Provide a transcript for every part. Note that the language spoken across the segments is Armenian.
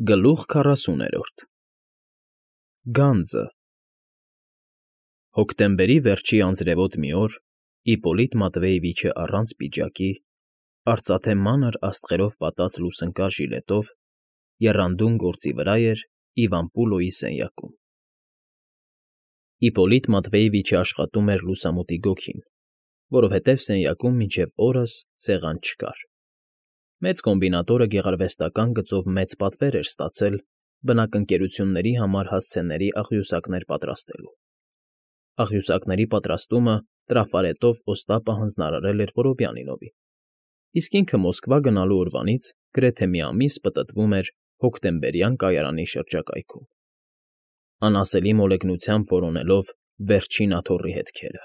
Գլուխ 40 Գանձը Հոկտեմբերի վերջի անձրևոտ մի օր Իպպոլիտ Մատվեևիչը առանց պիջակի, արծաթե մանր աստղերով պատած լուսնկար ժիլետով եռանդուն գործի վրա էր Իվան֊Պուլոյի սենյակում։ Իպպոլիտ Մատվեևիչը աշխատում էր լուսամուտի գոգին, որովհետև սենյակում մինչև օրս սեղան չկար։ Մեծ կոմբինատորը գեղարվեստական գծով մեծ պատվեր էր ստացել բնակընկերությունների համար հասցեների աղյուսակներ պատրաստելու։ Աղյուսակների պատրաստումը տրաֆարետով Օստապը հանձնարարել էր Որոբյանինովին, իսկ ինքը Մոսկվա գնալու օրվանից գրեթե մի ամիս պտտվում էր հոկտեմբերյան կայարանի շրջակայքում, անասելի մոլեգնությամբ որոնելով վերջին աթոռի հետքերը,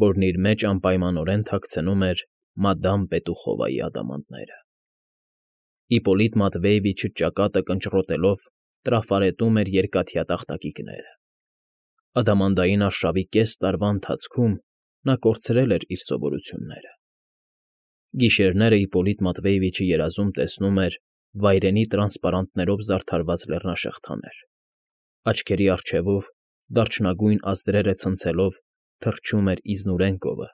որն իր մեջ անպայմանորեն թաքցնում էր մադամ Պետուխովայի ադամանդները։ Իպպոլիտ Մատվեևիչը ճակատը կնճռոտելով տրաֆարետում էր երկաթյա տախտակիկները։ Ադամանդային արշավի կես տարվա ընթացքում նա կորցրել էր իր սովորությունները։ Գիշերները Իպպոլիտ Մատվեևիչը երազում տեսնում էր վայրենի տրանսպարանտներով զարդարված լեռնաշղթաներ, աչքերի առջևով դարչնագույն ազդրերը ցնցելով թռչում էր իզնուրեն կովը,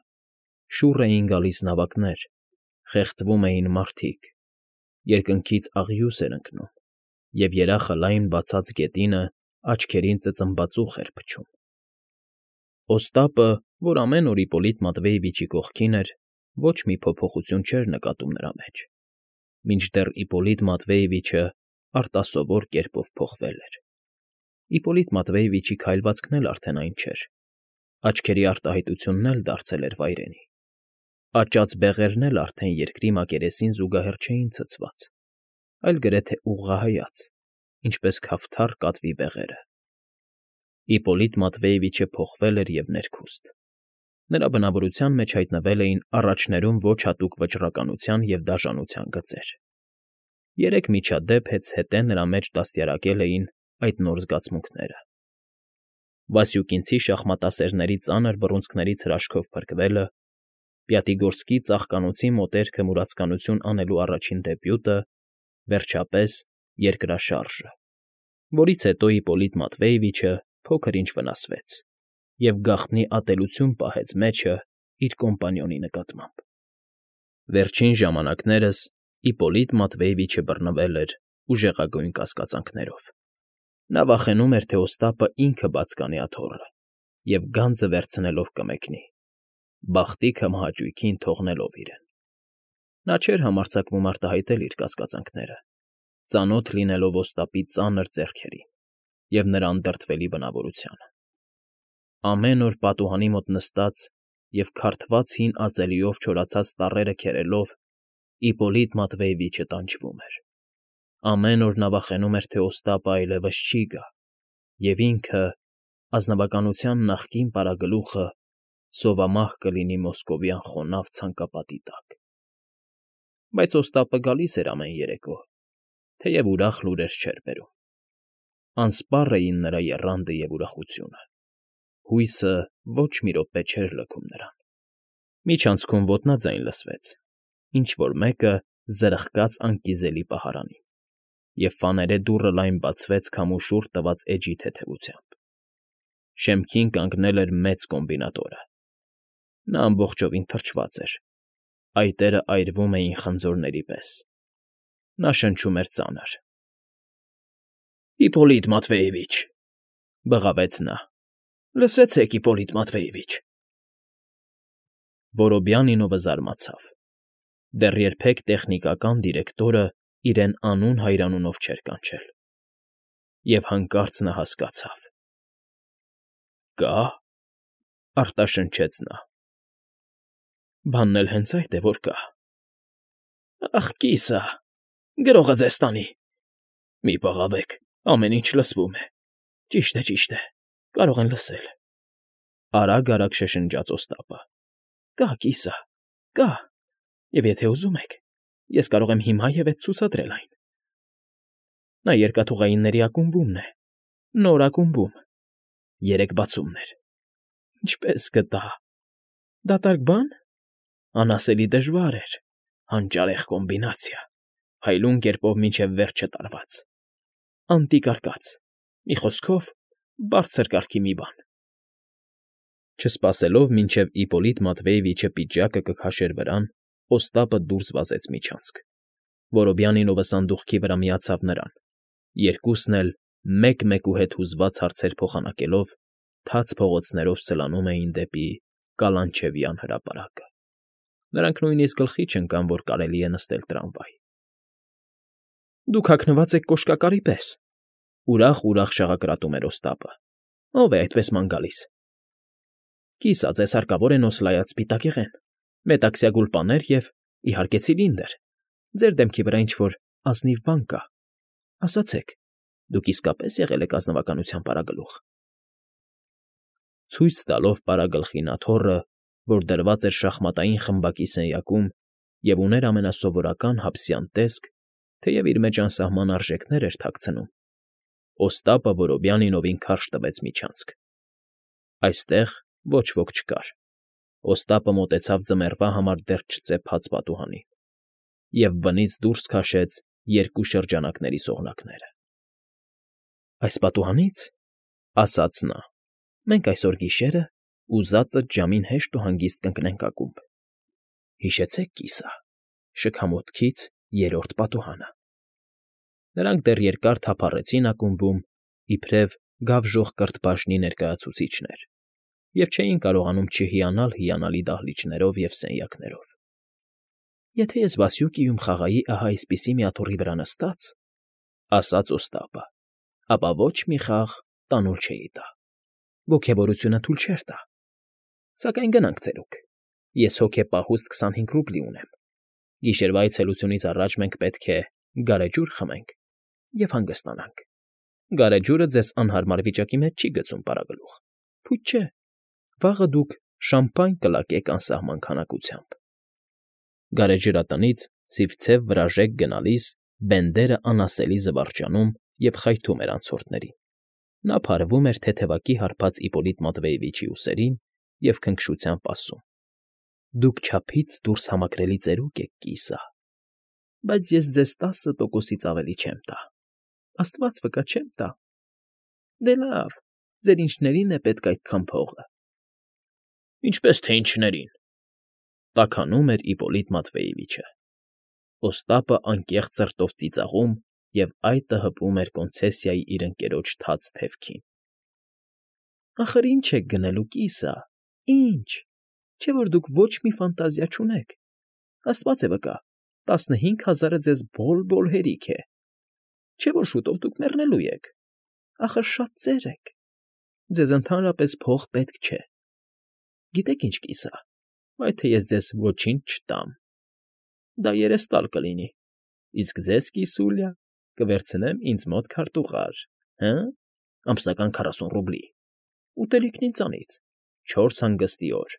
շուռ էին գալիս նավակներ, խեղդվում էին մարդիկ, երկնքից աղյուս էր ընկնում, և երախը լայն բացած գետինը աչքերին ծծմբածուխ էր փչում։ Օստապը, որ ամեն օր Իպպոլիտ Մատվեևիչի կողքին էր, ոչ մի փոփոխություն չէր նկատում նրա մեջ, մինչդեռ Իպպոլիտ Մատվեևիչը արտասովոր կերպով փոխվել էր։ Իպպոլիտ Մատվեևիչի քայլվածքն էլ արդեն այն չէր, աչքերի արտահայտությունն էլ դարձել էր վայրենի, աճած բեղերն էլ արդեն երկրի մակերեսին զուգահեռ չէին ցցված, այլ գրեթե ուղղահայաց, ինչպես քավթար կատվի բեղերը։ Իպպոլիտ Մատվեևիչը փոխվել էր և ներքուստ։ Նրա բնավորության մեջ հայտնվել էին առաջներում ոչ հատուկ վճռականության և դաժանության գծեր։ Երեք միջադեպ հետզհետե նրա մեջ դաստիարակել էին այդ նոր զգացմունքները. Վասյուկինցի շախմատասերների ծանր բռունցքներից հրաշքով փրկվելը, Պյատիգորսկի ծաղկանոցի մոտերքը մուրացկանություն անելու առաջին դեբյուտը, վերջապես երկրաշարժը, որից հետո Իպպոլիտ Մատվեևիչը փոքր֊ինչ վնասվեց և գաղտնի ատելություն պահեց մեջը իր կոմպանիոնի նկատմամբ։ Վերջին ժամանակներս Իպպոլիտ Մատվեևիչը բռնվել էր ուժեղագույն կասկածանքներով։ Նա վախենում էր, թե Օստապը ինքը բաց կանի աթոռը և գանձը վերցնելով կմեկնի, բախտի քմահաճույքին թողնելով իրեն։ Նա չէր համարձակվում արտահայտել իր կասկածանքները, ծանոթ լինելով Օստապի ծանր ձեռքերին և նրա անդրդվելի բնավորությանը։ Ամեն օր պատուհանի մոտ նստած և քարթված հին ածելիով չորացած տառերը քերելով Իպպոլիտ Մատվեևիչը տանջվում էր։ Ամեն օր նա վախենում էր, թե Օստապը այլևս չի գա, և ինքը, ազնվականության նախկին պարագլուխը, սովամահ կլինի մոսկովյան խոնավ ցանկապատի տակ։ Բայց Օստապը գալիս էր ամեն երեկո, թեև ուրախ լուրեր չէր բերում։ Անսպառ էին նրա եռանդը և ուրախությունը։ Հույսը ոչ մի րոպե չէր լքում նրան։ Միջանցքում ոտնաձայն լսվեց, ինչ֊որ մեկը զրխկաց անկիզելի պահարանին, և ֆաներե դուռը լայն բացվեց քամու շուռ տված էջի թեթևությամբ։ Շեմքին կանգնել էր մեծ կոմբինատորը։ Նա ամբողջովին թրջված էր, այտերը այրվում էին խնձորների պես։ Նա շնչում էր ծանր։ ֊ Իպպոլիտ Մատվեևիչ,֊ բղավեց նա,֊ լսեցեք, Իպպոլիտ Մատվեևիչ… Որոբյանինովը զարմացավ։ Դեռ երբեք տեխնիկական դիրեկտորը իրեն անուն֊հայրանունով չէր կանչել։ Եվ հանկարծ նա հասկացավ։ Կա՞,֊ արտաշնչեց նա։ Բանն էլ հենց այդ է, որ կա։ Ախ, կիսա, գրողը ձեզ տանի։ Մի բղավեք, ամեն ինչ լսվում է։ Ճիշտ է, կարող են լսել։ Արագ֊արագ շշնջաց Օստապը։ Կա, կիսա, կա, և եթե ուզում եք, ես կարող եմ հիմա և հետ ցուցադրել այն։ Նա երկաթուղայինների ակումբումն է, նոր ակումբում, 3 բացումներ։ Ինչպե՞ս գտա։ Դատարկ բա՞ն։ Անասելի դժվար էր, հանճարեղ կոմբինացիա, փայլուն կերպով մինչև վերջը տարված։ անտիկարկած, մի խոսքով, բարձր կարգի մի բան։ Չսպասելով, մինչև Իպոլիտ Մատվեևիչը պիջակը կքաշեր վրան, Օստապը դուրս վազեց միջանցք։ Որոբյանինովը սանդուղքի վրա միացավ նրան, երկուսն էլ մեկ֊մեկուհետ հուզված հարցեր փոխանակելով, թաց փողոցներով սլանում էին դեպի Կալանչևյան հրապարակը։ Նրանք նույնիսկ գլխի չընկան, որ կարելի է նստել տրամվայ։ Դուք հագնված եք կոշկակարի պես, ուրախ շաղակրատում էր Օստապը։ Ո՞վ է այդպես ման գալիս։ Կիսա, ձեզ հարկավոր է նոսլայած սպիտակեղեն, մետաքսյա գուլպաներ և, իհարկե, ցիլինդր։ Ձեր դեմքի վրա ինչ-որ ազնիվ բան կա։ Ասացեք, դուք իսկապես եղել եք ազնվականության պարագլուխ։ Ցույց տալով պարագլխի նաթոռը, որ դրված էր շախմատային խմբակի սենյակում և ուներ ամենասովորական հաբսյան տեսք, թեև իր մեջ անսահման արժեքներ էր թաքցնում, Օստապը Որոբյանինովին քարշ տվեց միջանցք։ Այստեղ ոչ ոք չկար։ Օստապը մոտեցավ ձմեռվա համար դեռ չծեփած պատուհանին և բնից դուրս քաշեց երկու շրջանակների սողնակները։ Այս պատուհանից, ասաց նա, մենք այսօր գիշերը ուզածդ ժամին հեշտ ու հանգիստ կընկնենք ակումբ։ Հիշեցեք, կիսա, շքամուտքից երրորդ պատուհանը։ Նրանք դեռ երկար թափառեցին ակումբում, իբրև գավժող կրթբաժնի ներկայացուցիչներ, և չէին կարողանում չհիանալ հիանալի դահլիճներով և սենյակներով։ Եթե ես Վասյուկիում խաղայի ահա այսպիսի մի աթոռի վրա նստած, ասաց Օստապը, ապա ոչ մի խաղ տանուլ չէի տա։ Ոգևորությունը թույլ չէր տա։ Սակայն գնանք ծերուկ։ Ես հոգեպահուստ 25 ռուբլի ունեմ։ Գիշերվա այցելությունից առաջ մենք պետք է գարեջուր խմենք և հանգստանանք։ Գարեջուրը ձեզ անհարմար վիճակի մեջ չի գցում, պարագլուխ։ Փույթ չէ, վաղը դուք շամպայն կլակեք անսահման քանակությամբ։ Գարեջրատնից սիվցև վրաժեկ գնալիս բենդերը անասելի զվարճանում և խայթում էր անցորդներին։ Նա փարվում էր թեթևակի հարբած Իպոլիտ Մատվեևիչի ուսերին և քնքշությամբ ասում. Դուք չափից դուրս համակրելի ծերուկ եք, կիսա, բայց ես ձեզ 10%-ից ավելի չեմ տա։ Աստված վկա, չեմ տա։ Դե լավ, ձեր ինչներին է պետք այդքան փողը։ Ինչպես թե ինչներին, տաքանում էր Իպոլիտ Մատվեևիչը։ Օստապը անկեղծ ծրտով ծիծաղում և այտը հպում էր կոնցեսիայի իր ընկերոջ թաց թևքին։ Ախր ինչ եք գնելու, կիսա, ինչ, չէ՞ որ դուք ոչ մի ֆանտազիա չունեք։ Աստված է վկա, 15,000-ը ձեզ բոլ֊բոլ հերիք է։ Չէ՞ որ շուտով դուք մեռնելու եք։ Ախր շատ ծեր եք։ Ձեզ ընդհանրապես փող պետք չէ։ Գիտեք ինչ, կիսա, վայ թե ես ձեզ ոչինչ չտամ։ Դա երեստալ կլինի, իսկ ձեզ, կիսուլյա, կվերցնեմ ինձ մոտ քարտուղար, հը՞, ամսական 40 ռուբլի, ուտելիքն ինձանից, 4 հանգստի օր,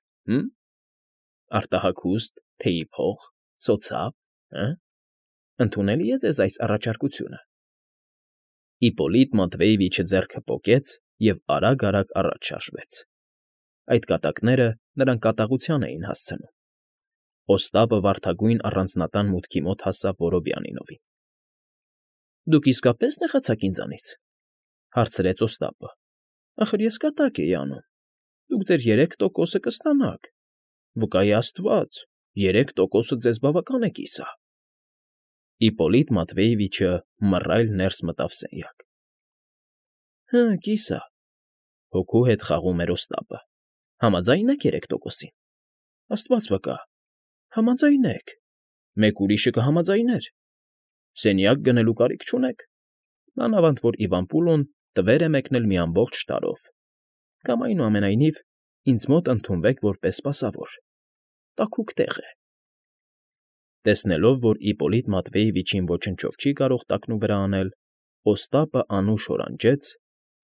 արտահագուստ, թեյի փող, սոցապ, ընդունելի է ձեզ այս առաջարկությունը։ Իպոլիտ Մատվեևիչը ձեռքը պոկեց և արագ առաջ շարժվեց։ Այդ կատակները նրան կատաղության էին հասցնում։ Օստապը վարդագույն առանձնատան մուտքի մոտ հասավ Որոբյանինովին։ Դուք իսկապես նեղացաք ինձանից, հարցրեց Օստապը։ Ախր ես կատակ էի անում։ Դուք ձեր 3%-ը կստանաք։ Վկայի Աստված, 3%-ը ձեզ բավական է, կիսա։ Իպոլիտ Մատվեևիչը մռայլ ներս մտավ սենյակ։ Հը, կիսա, հոգու հետ խաղում էր Օստապը։ Համաձայն եք 3%-ին։ Աստված վկա, համաձայնեք, մեկ ուրիշը կհամաձայներ։ Սենյակ գնելու կարիք չունեք։ Մանավանդ որ Իվան տվեր է մեկնել մի ամբողջ տարով։ Կամ այնուամենայնիվ ինձ մոտ ընդունվեք որպես սպասավոր։ Տաքուկ տեղ է։ Տեսնելով, որ Իպոլիտ Մատվեևիչին ոչնչով չի կարող տակնու վրա անել, Օստապը անուշ հորանջեց,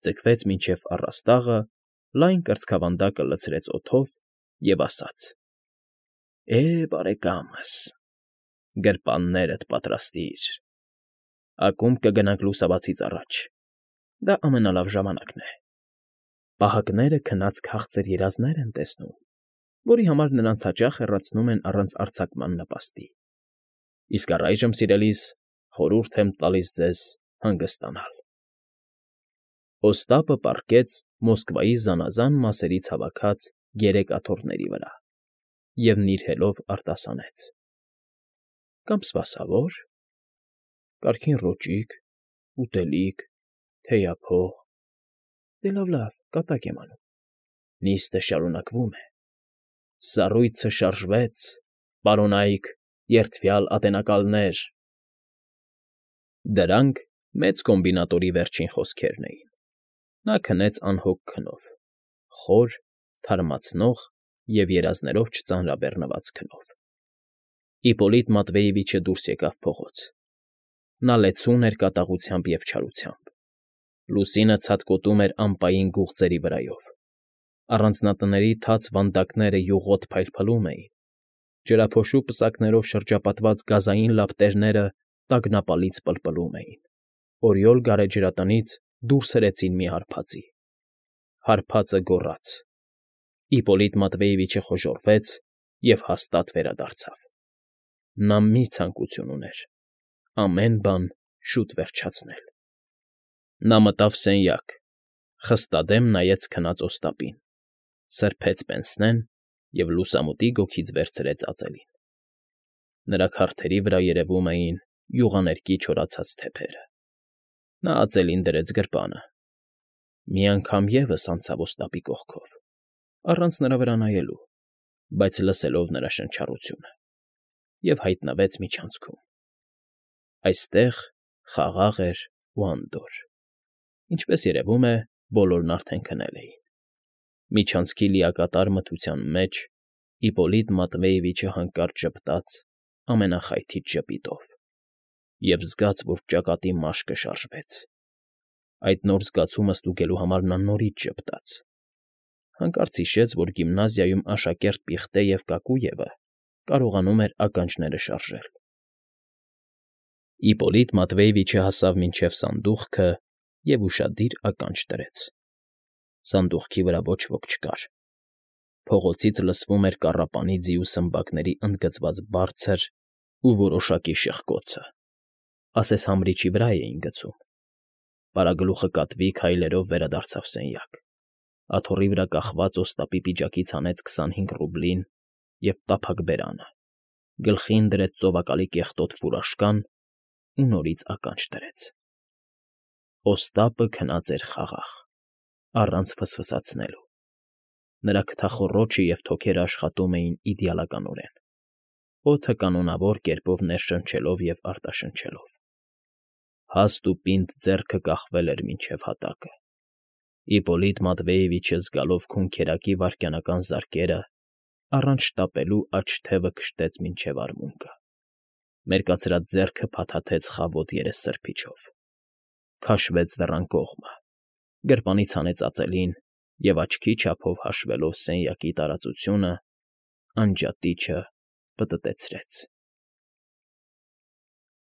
ձգվեց մինչև առաստաղը, լայն կրծքավանդակը լցրեց օդով և ասաց. բարեկամս, գրպաններդ պատրաստիր։ Ակումբ կգնանք լուսաբացից առաջ։ Դա ամենալավ ժամանակն է։ Պահակները քնած քաղցր երազներ են տեսնում, որի համար նրանց հաճախ հեռացնում են առանց արձակման նպաստի։ Իսկ առայժմ, սիրելիս, խորհուրդ եմ տալիս ձեզ հանգստանալ։ Օստապը պառկեց Մոսկվայի զանազան մասերից հավաքած 3 աթոռների վրա և նիրհելով արտասանեց. «Կամ սպասավոր, կարգին ռոճիկ, ուտելիք, թեյափող, դե լավ, կատակ եմ անում, նիստը շարունակվում է, սառույցը շարժվեց, պարոնայք, երդվյալ ատենակալներ»։ Դրանք մեծ կոմբինատորի վերջին խոսքերն էին. նա քնեց անհոգ քնով, խոր, թարմացնող և երազներով չծանրաբեռնված քնով։ Իպոլիտ Մատվեևիչը դուրս եկավ փողոց. նա լեցուն էր կատաղությամբ և չարությամբ։ Լուսինը ցատկոտում էր ամպային գուղձերի վրայով, առանձնատների թաց վանդակները յուղոտ փայլփլում էին, ջրափոշու պսակներով շրջապատված գազային լապտերները տագնապալից պլպլում էին, օրիոլ գարեջրատնից դուրս հրեցին մի հարբածի։ Հարբածը գոռաց։ Իպոլիտ Մատվեևիչը խոժոռվեց և հաստատ վերադարձավ։ Նա մի ցանկություն ուներ՝ ամեն բան շուտ վերջացնել։ Նա մտավ սենյակ, խստադեմ նայեց քնած Օստապին, սրբեց պենսնեն և լուսամուտի գոգից վերցրեց ածելին։ Նրա քարդերի վրա երևում էին յուղաներկի չորացած թեփերը։ Նա ածելին դրեց գրպանը, մի անգամ ևս անցավ Օստապի կողքով, առանց նրա վրա նայելու, բայց լսելով նրա շնչառությունը, և հայտնվեց միջանցքում։ Այստեղ խաղաղ էր ու անդորր, ինչպես երևում է, բոլորն արդեն քնել էին։ Միջանցքի լիակատար մթության մեջ Իպոլիտ Մատվեևիչը հանկարծ ժպտաց ամենախայթիչ ժպիտով և զգաց, որ ճակատի մաշկը շարժվեց։ Այդ նոր զգացումը ստուգելու համար նա նորից ժպտաց։ Հանկարծ հիշեց, որ գիմնազիայում աշակերտ պիղտե և Կակույևը կարողանում էր ականջները շարժել։ Իպոլիտ Մատվեևիչը հասավ մինչև սանդուղքը և ուշադիր ականջ դրեց։ Սանդուղքի վրա ոչ ոք չկար։ Փողոցից լսվում էր կառապանի ձի ու սմբակների ընդգծված բարձր ու որոշակի շխկոցը, ասես համրիչի վրա էին գցում։ Պարագլուխը կատվի քայլերով վերադարձավ սենյակ, աթոռի վրա կախված Օստապի պիջակից հանեց 25 ռուբլին և տափակ բերանը, գլխին դրեց ծովակալի կեղտոտ ֆուրաշկան ու նորից ականջ դրեց։ Օստապը քնած էր խաղաղ, առանց ֆսֆսացնելու։ Նրա քթախոռոչը և թոքերը աշխատում էին իդեալականորեն, օդը կանոնավոր կերպով ներշնչելով և արտաշնչելով։ Հաստ ու պինդ ձեռքը կախվել էր մինչև հատակը։ Իպոլիտ Մատվեևիչը զգալով քունքերակի վայրկենական զարկերը, առանց շտապելու աջ թևը քշտեց մինչև արմունկը։ Մերկացրած ձեռքը փաթաթեց խավոտ երեսսրբիչով, քաշվեց դռան կողմը, գրպանից հանեց ածելին և աչքի չափով հաշվելով սենյակի տարածությունը, անջատիչը պտտեցրեց։